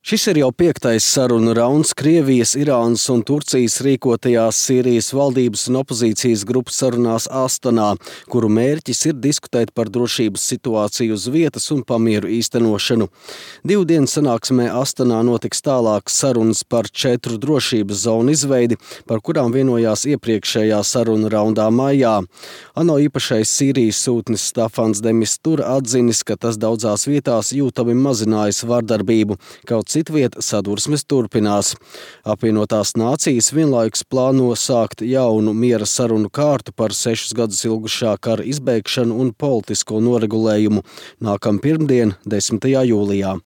Šis ir jau 5. sarunu rauns Krievijas, Irānas un Turcijas rīkotajās Sīrijas valdības un opozīcijas grupu sarunās Astanā, kuru mērķis ir diskutēt par drošības situāciju uz vietas un pamieru īstenošanu. 2 dienu sanāksmē Astanā notiks tālākas sarunas par 4 drošības zonu izveidi, par kurām vienojās iepriekšējā sarunu raundā maijā. ANO īpašais Sīrijas sūtnis Stafans de Mistura atzinis, ka tas daudzās vietās jūtami mazinājis vardarbību, kaut citvieta sadursmes turpinās. Apvienotās nācijas vienlaikus plāno sākt jaunu miera sarunu kārtu par 6 gadus ilgušā kara izbeigšanu un politisko noregulējumu nākamā pirmdien, 10. jūlijā.